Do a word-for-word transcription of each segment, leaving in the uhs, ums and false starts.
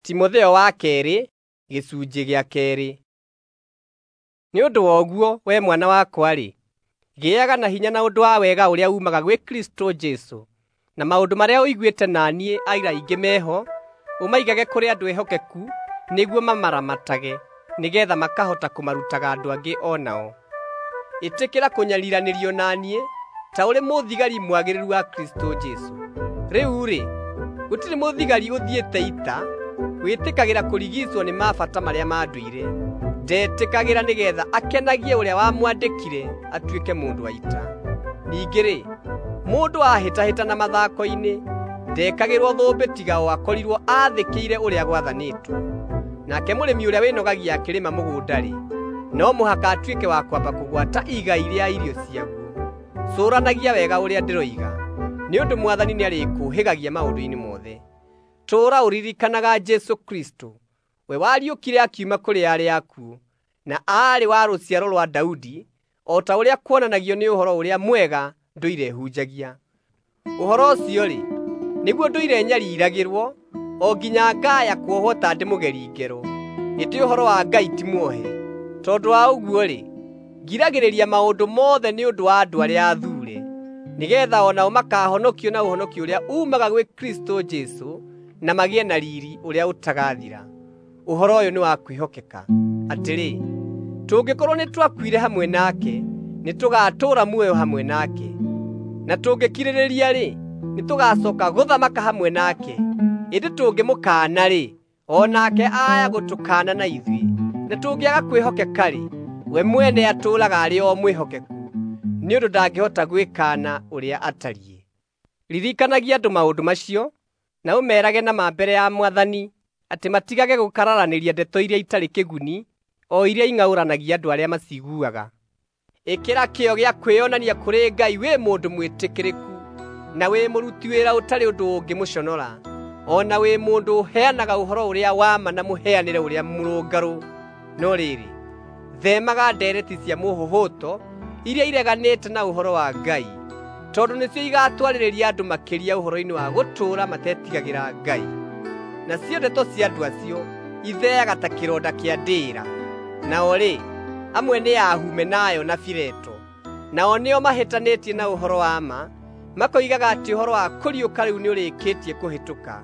Timotheo wa keerĩ gĩcunjĩ gĩa keerĩ. Nĩ ũndũ wa ũguo we mwana wakwa-rĩ, gĩaga na hinya na ũndũ wa wega ũrĩa uumaga gwĩ Kristũ Jesũ, na maũndũ marĩa ũiguĩte na niĩ aira aingĩ meho, ũmaigage kũrĩ andũ ehokeku nĩguo mamaramatage, nĩgeetha makahota kũmarutaga andũ angĩ o nao. Ĩtĩkĩra kũnyariiranĩrio na niĩ ta ũrĩ mũthigari mwagĩrĩru wa Kristũ Jesũ. Rĩu-rĩ, gũtirĩ mũthigari ũthiĩte ita wĩtĩkagĩra kũrigiicwo nĩ mabata marĩa ma ndũire. Ndetĩkagĩra nĩgeetha akenagie ũrĩa wamwandĩkire atuĩke mũndũ wa ita. Ningĩ-rĩ, mũndũ ahĩtahĩtana mathako-inĩ ndekagĩrwo thũmbĩ tiga o akorirwo aathĩkĩire ũrĩa gwathanĩtwo. Nake mũrĩmi ũrĩa wĩnogagia akĩrĩma mũgũnda-rĩ, no mũhaka atuĩke wa kwamba kũgwata igai rĩa irio ciaguo. Cũranagia wega ũrĩa ndĩroiga, nĩ ũndũ Mwathani nĩarĩkũũhĩgagia maũndũ-inĩ mothe. Tũũra ũririkanaga Jesũ Kristũ, we wariũkire akiuma kũrĩ arĩa akuũ, na aarĩ wa rũciaro rwa Daudi, o ta ũrĩa kuonanagio nĩ Ũhoro-ũrĩa-Mwega ndũire hunjagia. Ũhoro ũcio-rĩ, nĩguo ndũire nyariiragĩrwo, o nginya ngaaya kuohwo ta ndĩ mũgeri ngero. Ĩndĩ ũhoro wa Ngai ti muohe. Tondũ wa ũguo-rĩ, ngiragĩrĩria maũndũ mothe nĩ ũndũ wa andũ arĩa athuure, nĩgeetha o nao makaahonokio na ũhonokio ũrĩa uumaga gwĩ Kristũ Jesũ, na magĩe na riiri ũrĩa ũtagathira. Ũhoro ũyũ nĩ wa kwĩhokeka, atĩrĩ, tũngĩkorwo nĩtwakuire hamwe nake, nĩtũgatũũra muoyo hamwe nake; na tũngĩkirĩrĩria-rĩ, nĩtũgacooka gũthamaka hamwe nake. Ĩndĩ tũngĩmũkaana-rĩ, o nake aaya gũtũkaana na ithuĩ; na tũngĩaga kwĩhokeka-rĩ, we mwene atũũraga arĩ o mwĩhokeku, nĩ ũndũ ndangĩhota gwĩkaana ũrĩa atariĩ. Ririkanagia andũ maũndũ macio, na ũmeerage na ma mbere ya Mwathani atĩ matigage gũkararanĩria ndeto iria itarĩ kĩguni, o iria ing'aũranagia andũ arĩa maciguaga. Ĩkĩra kĩyo gĩa kwĩonania kũrĩ Ngai wĩ mũndũ mwĩtĩkĩrĩku, na wĩ mũruti wĩra ũtarĩ ũndũ ũngĩmũconora, o na wĩ mũndũ ũheanaga ũhoro ũrĩa wa ma na mũheanĩre ũrĩa mũrũngarũ. No rĩrĩ, theemaga ndeereti cia mũhũhũto iria ireganĩte na ũhoro wa Ngai, tondũ nĩcio igatwarĩrĩria andũ makĩria ũhoro-inĩ wa gũtũũra matetigagĩra Ngai. Nacio ndeto cia andũ acio itheaga ta kĩronda kĩa ndĩĩra. Nao-rĩ, amwe nĩ a Humenayo na Fileto. Nao nĩo mahĩtanĩtie na ũhoro wa ma, makoigaga atĩ ũhoro wa kũriũka rĩu nĩũrĩkĩtie kũhĩtũka,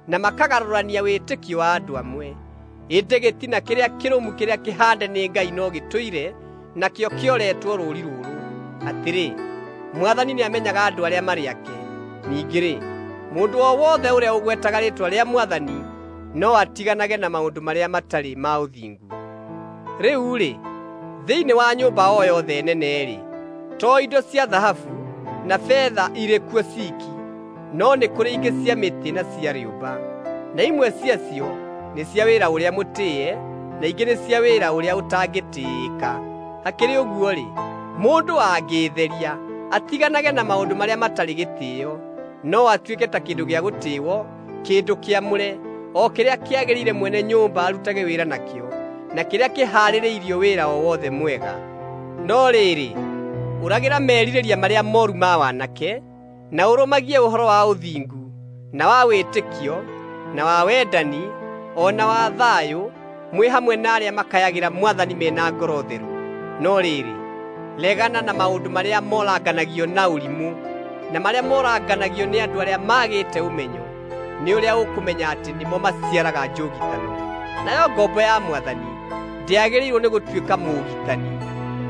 na makagarũrania wĩtĩkio wa andũ amwe. Ĩndĩ gĩtina kĩrĩa kĩrũmu kĩrĩa kĩhaande nĩ Ngai no gĩtũire, nakĩo kĩoretwo rũũri rũrũ, atĩrĩ, Mwathani nĩamenyaga andũ arĩa marĩ ake. Ningĩ-rĩ, mũndũ o wothe ũrĩa ũgwetaga rĩĩtwa rĩa Mwathani no atiganage na maũndũ marĩa matarĩ ma ũthingu. Rĩu-rĩ, thĩinĩ wa nyũmba o yothe nene-rĩ, to indo cia thahabu na betha irĩ kuo ciiki, no nĩ kũrĩ ingĩ cia mĩtĩ na cia rĩũmba, na imwe ciacio nĩ cia wĩra ũrĩa mũtĩĩe, na ingĩ nĩ cia wĩra ũrĩa ũtangĩtĩĩka. Hakĩrĩ ũguo-rĩ, mũndũ angĩĩtheria atiganage na maũndũ marĩa matarĩ gĩtĩĩo, no atuĩke ta kĩndũ gĩa gũtĩĩwo, kĩndũ kĩamũre, o kĩrĩa kĩagĩrĩire mwene nyũmba arutage wĩra nakĩo, na kĩrĩa kĩhaarĩirio wĩra o wothe mwega. No rĩrĩ, ũragĩra merirĩria marĩa mooru ma wanake, na ũrũmagie ũhoro wa ũthingu, na wa wĩtĩkio, na wa wendani, o na wa thayũ, mwĩ hamwe na arĩa makayagĩra Mwathani me na ngoro theru. No rĩrĩ, legana na maũndũ marĩa moranganagio na ũrimũ, na marĩa moranganagio nĩ andũ arĩa maagĩte ũmenyo, nĩ ũrĩa ũkũmenya atĩ nĩmo maciaraga njũgitano. Nayo ngombo ya Mwathani ndĩagĩrĩirwo nĩ gũtuĩka mũũgitani,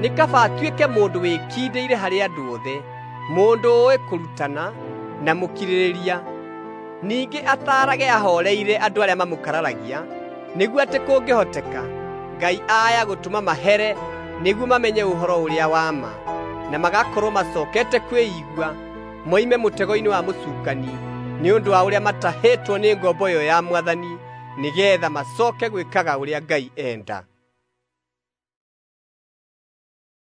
nĩ kaba atuĩke mũndũ wĩkindĩire harĩ andũ othe, mũndũ ũũĩ kũrutana na mũkirĩrĩria. Ningĩ ataarage ahooreire andũ arĩa mamũkararagia, nĩguo atĩ kũngĩhoteka Ngai aaya gũtũma mahere nĩguo mamenye ũhoro ũrĩa wa ma, na magakorwo macookete kwĩigua moime mũtego-inĩ wa mũcukani nĩ ũndũ wa ũrĩa matahĩtwo nĩ ngombo ĩyo ya Mwathani, nĩgeetha macooke gwĩkaga ũrĩa Ngai enda.